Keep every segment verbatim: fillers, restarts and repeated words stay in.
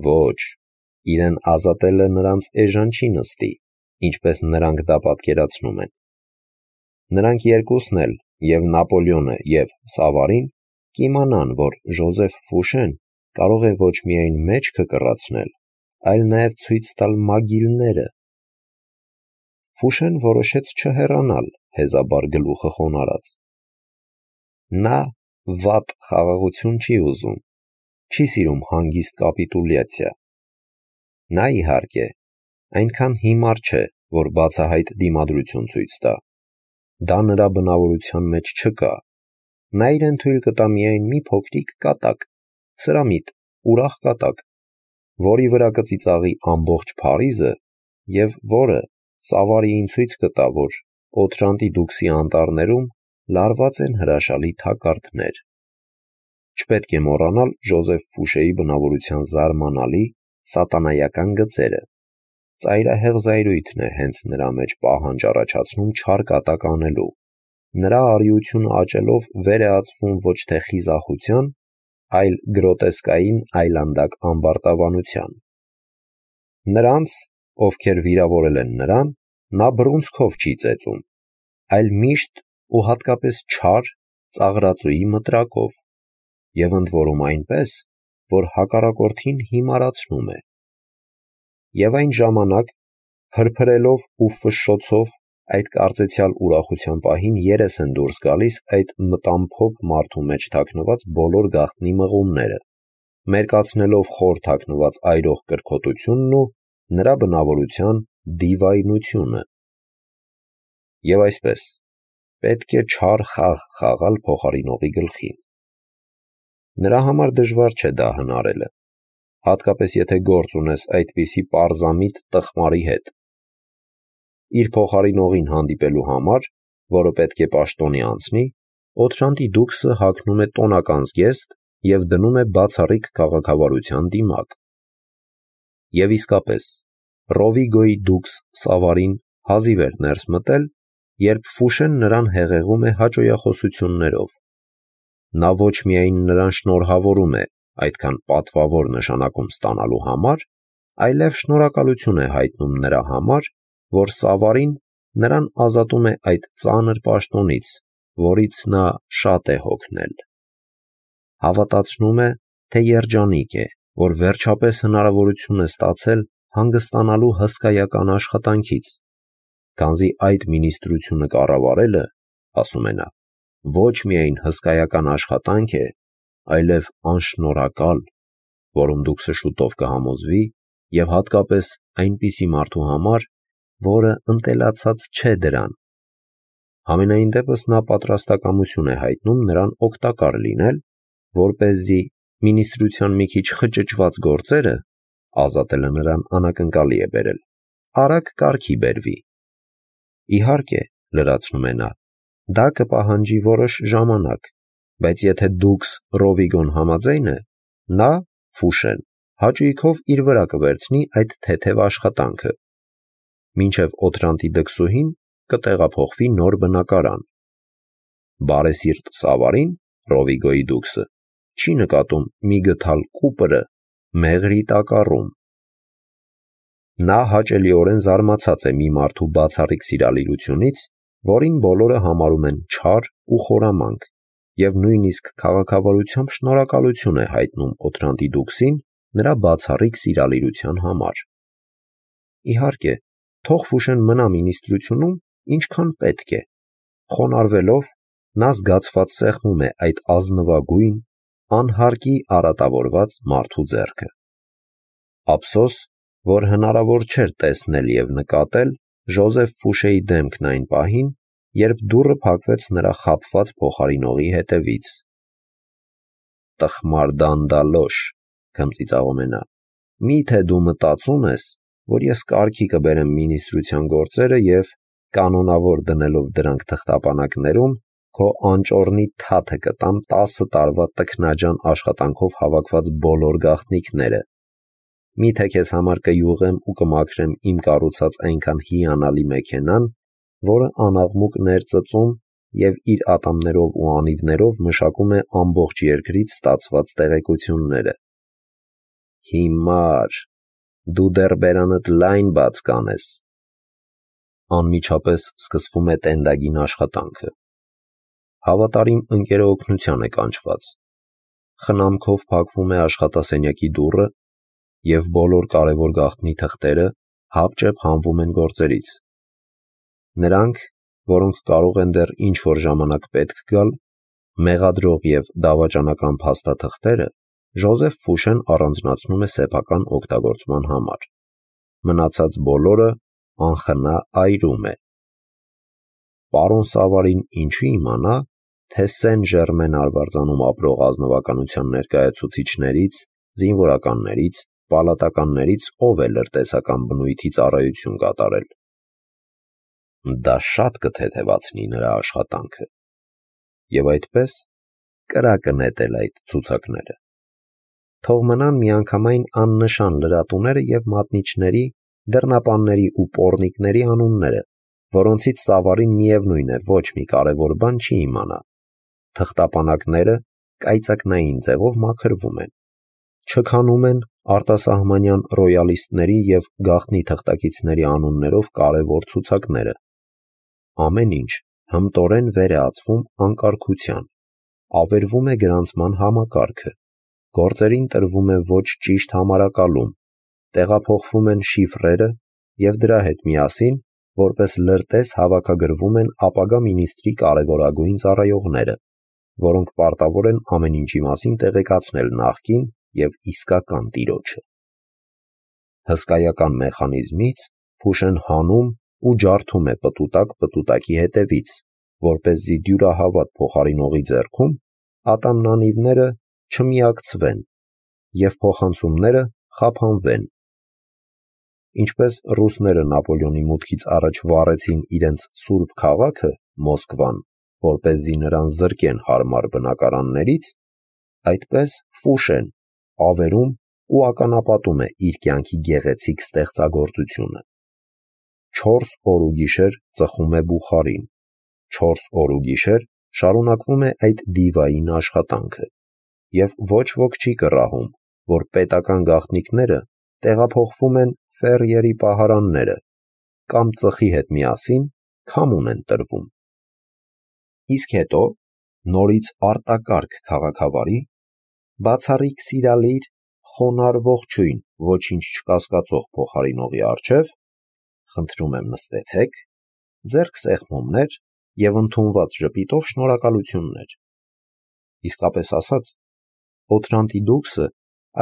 Ոչ, իրեն ազատելը նրանց էժան չի նստի, ինչպես նրանք դա պատկերացնում են։ Նրանք երկուսն էլ, և Նապոլեոնը, և Սավարին, կիմանան, որ Ժոզեֆ Ֆուշեն կարող է ոչ միայն մեջքը կռացնել, այլ նաև ցույց տալ մագիլները։ Ֆուշեն որոշեց չհեռանալ, հեզաբար գլուխը խոնարհած։ Նա վատ խաղաղություն չի ուզում, չի սիրում հանգիստ կապիտուլյացիա։ Նա, իհարկե, այնքան հիմար չէ, որ բացահայտ դիմադրություն ցույց տա։ Դա նրա բնավորության մեջ չկա։ Նա իրեն թույլ կտա միայն մի փոքրիկ կատակ, սրամիտ, ուրախ կատակ, որի վրա կծիծաղի ամբողջ Փարիզը և որը Սավարիին ցույց կտա, որ Օթրանտի դուքսի անտառներում լարված են հրաշալի թակարդներ։ Չպետք է մոռանալ Ժոզեֆ Ֆուշեի բնավորության զարմանալի, սատանայական գծերը։ Ծայրահեղ զայրույթն է հենց նրա մեջ պահանջ առաջացնում չար կատակ անելու։ Նրա արիությունը աճելով վեր է ածվում ոչ թե խիզախության, այլ գրոտեսկային այլանդակ ամբարտավանության։ Նրանց, ովքեր վիրավորել են նրան, նա բռունցքով չի ծեծում, այլ միշտ ու հատկապես չար, ծաղրածուի մտրակով, և ընդ որում այնպես, որ հակառակորդին հիմարացնում է։ Եվ այն ժամանակ, փրփրելով ու ֆշշոցով այդ կարծեցյալ ուրախության պահին երես են դուրս գալիս այդ մտամփոփ մարդու մեջ թաքնված բոլոր գաղտնի մղումները, մերկացնելով խոր թաքնված այրող կրքոտությունն ու նրա բնավորության դիվայնությունը։ Եվ այսպես, պետք է չար խաղ խաղալ փոխարինողի գլխին։ Նրա համար դժվար չէ դա հնարելը, հատկապես եթե գործ ունես այդպիսի պարզամիտ տխմարի հետ։ Իր փոխարինողին հանդիպելու համար, որը պետք է պաշտոնի անցնի, Օթրանտի դուքսը հագնում է տոնական զգեստ և դնում է բացառիկ քաղաքավարության դիմակ։ Եվ իսկապես, Ռովիգոյի դուքս Սավարին հազիվ էր ներս մտել, երբ Ֆուշեն նրան հեղեղում է հաճոյախոսություններով։ Նա ոչ միայն նրան շնորհավորում է այդքան պատվավոր նշանակում ստանալու համար, այլև շնորհակալություն է հայտնում նրա համար, որ Սավարին նրան ազատում է այդ ծանր պաշտոնից, որից նա շատ է հոգնել։ Հավատացնում է, թե երջանիկ է, որ վերջապես հնարավորություն է ստացել հանգստանալու հսկայական աշխատանքից, քանզի այդ մինիստրությունը կառավարելը, ասում է նա, ոչ միայն հսկայական աշխատանք է, այլև անշնորհակալ, որում դուքսը շուտով կհամոզվի, և հատկապես այնպիսի մարդու համար, որը ընտելացած չէ դրան։ Համենայն դեպս նա պատրաստակամություն է հայտնում նրան օգտակար լինել, որպեսզի մինիստրության մի քիչ խճճված գործերը (ազատելը նրան անակնկալի է բերել) արագ կարգի բերվի։ Իհարկե, լրացնում է նա, դա կպահանջի որոշ ժամանակ, բայց եթե դուքս Ռովիգոն համաձայն է, նա, Ֆուշեն, հաճույքով իր վրա կվերցնի այդ թեթև աշխատանքը։ Մինչև Օթրանտի դքսուհին կտեղափոխվի նոր բնակարան։ Բարեսիրտ Սավարին, Ռովիգոյի դուքսը, չի նկատում մի գթալ կուպրը մեղրի տակառում։ Նա հաճելիորեն զարմացած է մի մարդու բացառիկ սիրալիրությունից, որին բոլորը համարում են չար ու խորամանկ, և նույնիսկ քաղաքավարությամբ շնորհակալություն է հայտնում Օթրանտի դուքսին նրա բացառիկ սիրալիրության համար։ Իհարկե, թող Ֆուշեն մնա մինիստրությունում ինչքան պետք է։ Խոնարհվելով, նա զգացված սեղմում է այդ ազնվագույն, անհարկի արատավորված մարդու ձեռքը։ Ափսոս, որ հնարավոր չէր տեսնել և նկատել Ժոզեֆ Ֆուշեի դեմքն այն պահին, երբ դուռը փակվեց նրա խաբված փոխարինողի հետևից։ «Տխմար դանդալոշ», քմծիծաղում է նա, «մի՞թե դու մտածում ես, որ ես կարգի կբերեմ մինիստրության գործերը և, կանոնավոր դնելով դրանք թղթապանակներում, քո անճոռնի թաթը կտամ տասը տարվա տքնաջան աշխատանքով հավաքված բոլոր գաղտնիքները։ Մի՞թե քեզ համար կյուղեմ ու կմաքրեմ իմ կառուցած այնքան հիանալի մեքենան, որը անաղմուկ ներծծում և իր ատամներով ու անիվներով մշակում է ամբողջ երկրից ստացված տեղեկությունները։ Հիմար, դու դեռ բերանդ լայն բաց կանես։ Անմիջապես սկսվում է տենդագին աշխատանքը։ Հավատարիմ ընկերը օգնության է կանչված։ Խնամքով փակվում է աշխատասենյակի դուռը և բոլոր կարևոր գաղտնի թղթերը հապճեպ հանվում են գործերից։ Նրանք, որոնք կարող են դեռ ինչ-որ ժամանակ պետք գալ, մեղադրող և դավաճանական փաստաթղթերը Ժոզեֆ Ֆուշեն առանձնացնում է սեփական օգտագործման համար։ Մնացած բոլորը անխնա այրում է։ Պարոն Սավարին ինչու իմանա, թե Սեն Ժերմեն արվարձանում ապրող ազնվականության ներկայացուցիչներից, զինվորականներից, պալատականներից ով է լրտեսական բնույթի ծառայություն կատարել։ Դա շատ կթեթևացնի նրա աշխատանքը։ Եվ այդպես կրակը նետել այդ ցուցակները։ Թող մնան միանգամայն աննշան լրատուները և մատնիչների, դռնապանների ու պոռնիկների անունները, որոնցից Սավարին միևնույն է ոչ մի կարևոր բան չի իմանա։ Թղթապանակները կայծակնային ձևով մաքրվում են։ Չքանում են արտասահմանյան ռոյալիստների և գաղտնի թղթակիցների անուններով կարևոր ցուցակները։ Ամեն ինչ հմտորեն վեր է ածվում անկարգության, ավերվում է գրանցման համակարգը, գործերին տրվում է ոչ ճիշտ համարակալում, տեղափոխվում են շիֆրերը և դրա հետ միասին, որպես լրտես հավաքագրվում են ապագա մինիստրի կարևորագույն ծառայողները, որոնք պարտավոր են ամեն ինչի մասին տեղեկացնել նախկին և իսկական տիրոջը։ Հսկայական մեխանիզմից Ֆուշեն հանում ու ջարդում է պտուտակ պտուտակի հետևից, որպեսզի դյուրահավատ փոխարինողի ձեռքում ատամնանիվները չմիակցվեն և փոխանցումները խափանվեն։ Ինչպես ռուսները Նապոլեոնի մուտքից առաջ վառեցին իրենց սուրբ քաղաքը՝ Մոսկվան, որպեսզի նրան զրկեն հարմար բնակարաններից, այդպես Ֆուշեն ավերում ու ականապատում է իր կյանքի գեղեցիկ ստեղծագործությունը։ Չորս օր ու գիշեր ծխում է բուխարին, չորս օր ու գիշեր շարունակվում է այդ դիվային աշխատանքը, և ոչ ոք չի կռահում, որ պետական գաղտնիքները տեղափոխվում են Ֆերիերի պահարանները կամ ծխի հետ միասին քամուն են տրվում։ Իսկ հետո նորից արտակարգ քաղաքավարի, բացառիկ սիրալիր, խոնարհ ողջույն ոչինչ չկասկածող փոխարինողի առջև, խնդրում եմ նստեցեք, ձեռք սեղմումներ և ընդունված ժպիտով շնորհակալություններ։ Իսկապես ասած, Օթրանտի դուքսը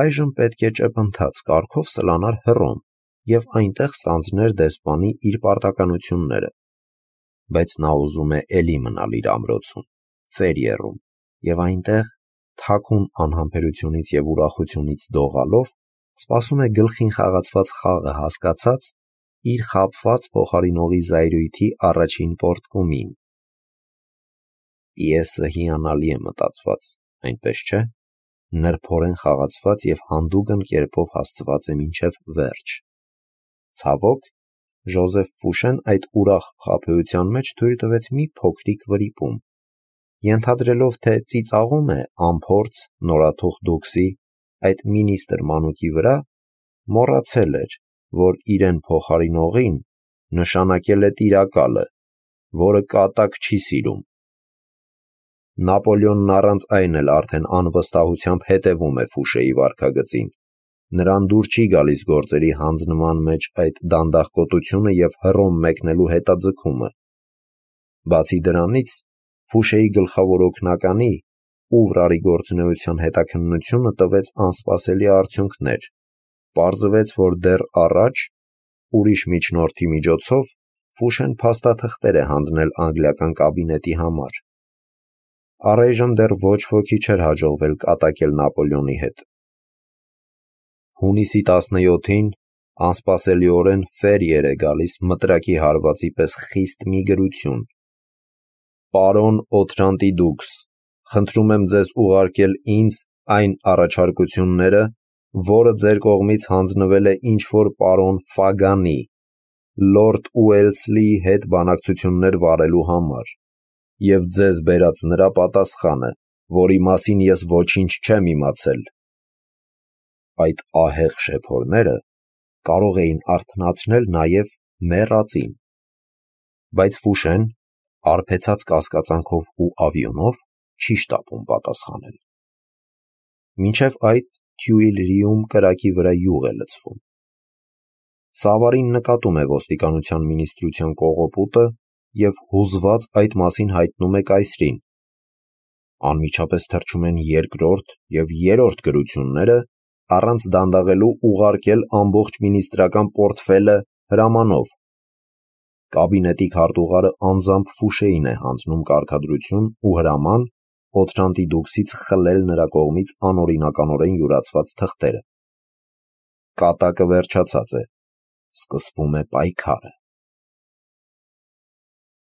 այժմ պետք է ճեպընթաց կարգով սլանար Հռոմ և այնտեղ ստանձներ դեսպանի իր պարտականությունները, բայց նա ուզում է էլի մնալ իր ամրոցում, Ֆերիերում, և այնտեղ, թաքուն անհամբերությունից և ուրախությունից դողալով, սպասում է գլխին խաղացված խաղը հասկացած, իր խաբված փոխարինողի զայրույթի առաջին պոռթկումին։ Պիեսը հիանալի է մտածված, այնպես չէ՞, նրբորեն խաղացված և հանդուգն կերպով հասցված է մինչև վերջ։ Ցավոք, Ժոզեֆ Ֆուշեն այդ ուրախ խաբեության մեջ թույլ տվեց մի փոքրիկ վրիպում, ենթադրելով, թե ծիծաղում է անփորձ, նորաթուխ դուքսի, այդ մինիստր մանուկի վրա, մոռացել էր, որ իրեն փոխարինողին նշանակել է տիրակալը, որը կատակ չի սիրում։ Նապոլեոնն առանց այն էլ արդեն անվստահությամբ հետևում է Ֆուշեի վարքագծին, նրան դուր չի գալիս գործերի հանձնման մեջ այդ դանդաղկոտությունը և Հռոմ մեկնելու հետաձգումը։ Բացի դրանից, Ֆուշեի գլխավոր օգնականի՝ Ուվրարի գործունեության հետաքննությունը տվեց անսպասելի արդյունքներ։ Պարզվեց, որ դեռ առաջ, ուրիշ միջնորդի միջոցով, Ֆուշեն փաստաթղթեր է հանձնել անգլիական կաբինետի համար։ Առայժմ դեռ ոչ ոքի չէր հաջողվել կատակել Նապոլեոնի հետ։ Հունիսի տասնյոթին անսպասելիորեն Ֆերիեր է գալիս մտրակի հարվածի պես խիստ մի գրություն. «Պարոն Օթրանտի դուքս, խնդրում եմ ձեզ ուղարկել ինձ այն առաջարկությունները, որը ձեր կողմից հանձնվել է ինչ-որ պարոն Ֆագանի, լորդ Ուելսլիի հետ բանակցություններ վարելու համար, և ձեզ բերած նրա պատասխանը, որի մասին ես ոչինչ չեմ իմացել»։ այդ ահեղ շեփորները կարող էին արթնացնել նաև մեռածին, բայց Ֆուշեն արբեցած կասկածանքով ու ավիոնով չի շտապում պատասխանել։ Մինչև այդ Թյուիլրիում կրակի վրա յուղ է լցվում։ Սավարին նկատում է ոստիկանության մինիստրության կողոպուտը և հուզված այդ մասին հայտնում է կայսրին։ Անմիջապես թռչում են երկրորդ և երրորդ գրությունները, առանց դանդաղելու ուղարկել ամբողջ մինիստրական պորտֆելը հրամանով։ Կաբինետի քարտուղարը անձամբ Ֆուշեին է հանձնում կարգադրություն ու հրաման Օթրանտի դուքսից խլել նրա կողմից անօրինականորեն յուրացված թղթերը։ Կատակը վերջացած է, սկսվում է պայքարը։